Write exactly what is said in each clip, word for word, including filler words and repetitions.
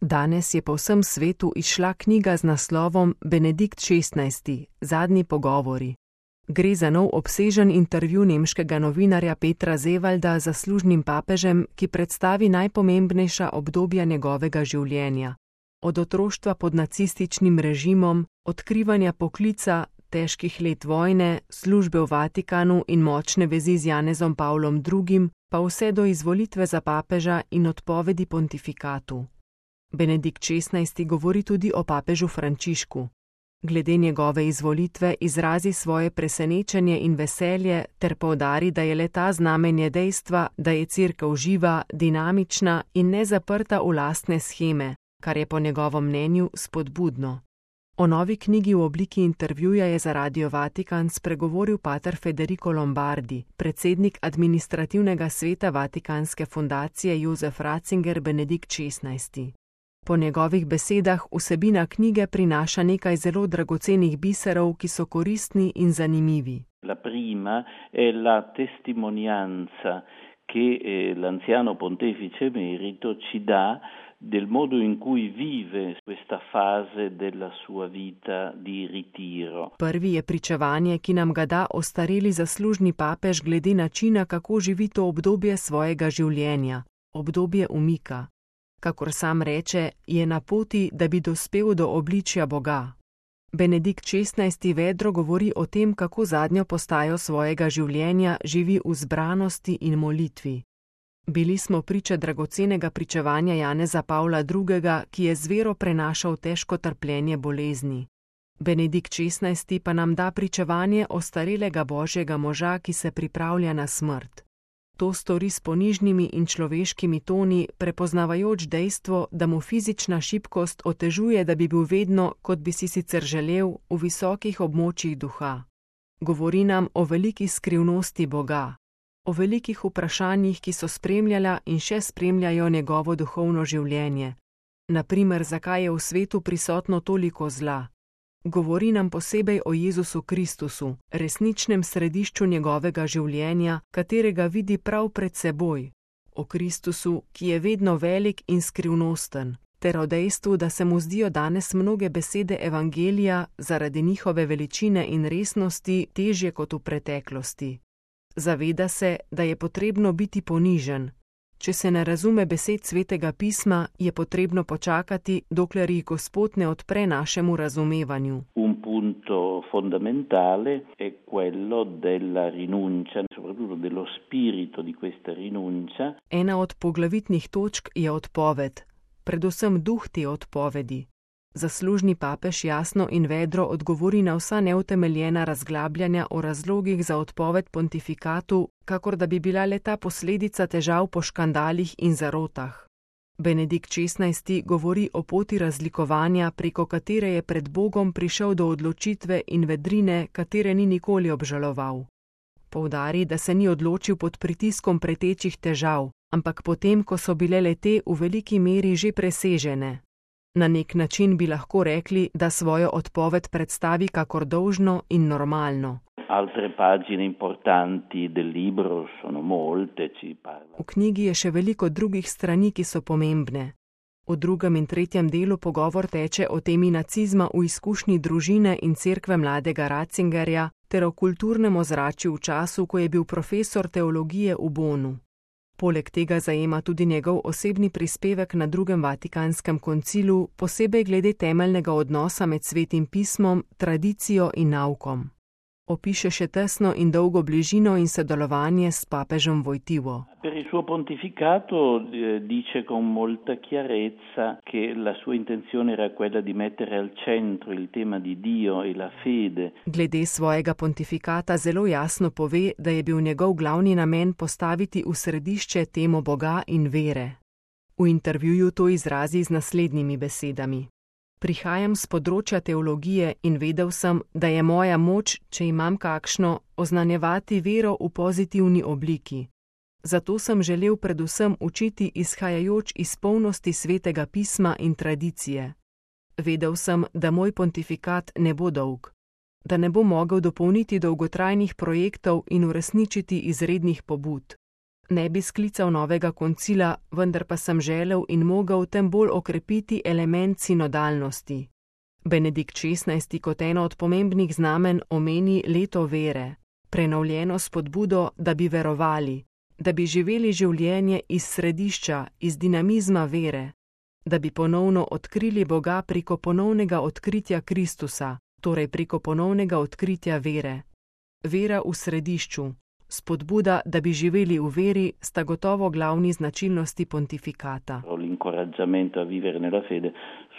Danes je po vsem svetu izšla knjiga z naslovom Benedikt šestnajsti. Zadnji pogovori. Gre za nov obsežen intervju nemškega novinarja Petra Zevalda z zaslužnim papežem, ki predstavi najpomembnejša obdobja njegovega življenja. Od otroštva pod nacističnim režimom, odkrivanja poklica, težkih let vojne, službe v Vatikanu in močne vezi z Janezom Pavlom drugim, pa vse do izvolitve za papeža in odpovedi pontifikatu. Benedikt šestnajsti govori tudi o papežu Frančišku. Glede njegove izvolitve izrazi svoje presenečenje in veselje ter poudari, da je le ta znamenje dejstva, da je Cerkev živa, dinamična in ne zaprta v lastne sheme, kar je po njegovem mnenju spodbudno. O novi knjigi v obliki intervjuja je za Radio Vatikan spregovoril pater Federico Lombardi, predsednik administrativnega sveta Vatikanske fundacije Josef Ratzinger Benedikt šestnajsti. Po njegovih besedah vsebina knjige prinaša nekaj zelo dragocenih biserov, ki so koristni in zanimivi. La prima è la testimonianza che eh, l'anziano pontefice emerito ci dà del modo in cui vive questa fase della sua vita di ritiro. Prvi je pričevanje, ki nam ga da ostareli zaslužni papež glede načina, kako živi to obdobje svojega življenja, obdobje umika. Kakor sam reče, je na poti, da bi dospel do obličja Boga. Benedikt šestnajsti vedro govori o tem, kako zadnjo postajo svojega življenja živi v zbranosti in molitvi. Bili smo priče dragocenega pričevanja Janeza Pavla drugega, ki je z vero prenašal težko trpljenje bolezni. Benedikt šestnajsti pa nam da pričevanje ostarelega božjega moža, ki se pripravlja na smrt. To stori s ponižnimi in človeškimi toni, prepoznavajoč dejstvo, da mu fizična šibkost otežuje, da bi bil vedno, kot bi si sicer želel, v visokih območjih duha. Govori nam o veliki skrivnosti Boga, o velikih vprašanjih, ki so spremljala in še spremljajo njegovo duhovno življenje. Naprimer, zakaj je v svetu prisotno toliko zla. Govori nam posebej o Jezusu Kristusu, resničnem središču njegovega življenja, katerega vidi prav pred seboj, o Kristusu, ki je vedno velik in skrivnosten, ter o dejstvu, da se mu zdijo danes mnoge besede evangelija zaradi njihove veličine in resnosti težje kot v preteklosti. Zaveda se, da je potrebno biti ponižen. Če se ne razume besed Svetega pisma, je potrebno počakati, dokler jih Gospod ne odpre našemu razumevanju. Un punto fondamentale è quello della rinuncia, soprattutto dello spirito di questa rinuncia. Ena od poglavitnih točk je odpoved, predvsem duh te odpovedi. Zaslužni papež jasno in vedro odgovori na vsa neutemeljena razglabljanja o razlogih za odpoved pontifikatu, kakor da bi bila le ta posledica težav po škandalih in zarotah. Benedikt šestnajsti govori o poti razlikovanja, preko katere je pred Bogom prišel do odločitve in vedrine, katere ni nikoli obžaloval. Poudari, da se ni odločil pod pritiskom pretečih težav, ampak potem, ko so bile le-te v veliki meri že presežene. Na nek način bi lahko rekli, da svojo odpoved predstavi kakor dolžno in normalno. Altre pagine importanti del libro sono molte, ci parla. V knjigi je še veliko drugih strani, ki so pomembne. V drugem in tretjem delu pogovor teče o temi nacizma v izkušnji družine in cerkve mladega Ratzingerja ter o kulturnem ozračju v času, ko je bil profesor teologije v Bonu. Poleg tega zajema tudi njegov osebni prispevek na drugem Vatikanskem koncilu, posebej glede temeljnega odnosa med Svetim pismom, tradicijo in naukom. Opiše še tesno in dolgo bližino in sodelovanje s papežem Wojtyłą. Per il suo pontificato eh, dice con molta chiarezza che la sua intenzione era quella di mettere al centro il tema di Dio e la fede. Glede svojega pontifikata zelo jasno pove, da je bil njegov glavni namen postaviti v središče temo Boga in vere. V intervjuju to izrazi z naslednjimi besedami. Prihajam z področja teologije in vedel sem, da je moja moč, če imam kakšno, oznanjevati vero v pozitivni obliki. Zato sem želel predvsem učiti izhajajoč iz polnosti Svetega pisma in tradicije. Vedel sem, da moj pontifikat ne bo dolg, da ne bo mogel dopolniti dolgotrajnih projektov in uresničiti izrednih pobud. Ne bi sklical novega koncila, vendar pa sem želel in mogel tem bolj okrepiti element sinodalnosti. Benedikt šestnajsti kot eno od pomembnih znamen omeni leto vere, prenovljeno spodbudo, da bi verovali, da bi živeli življenje iz središča, iz dinamizma vere, da bi ponovno odkrili Boga preko ponovnega odkritja Kristusa, torej preko ponovnega odkritja vere. Vera v središču, spodbuda, da bi živeli v veri, sta gotovo glavni značilnosti pontificata. L'incoraggiamento a vivere nella fede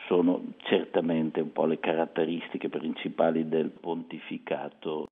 sono certamente un po' le caratteristiche principali del pontificato.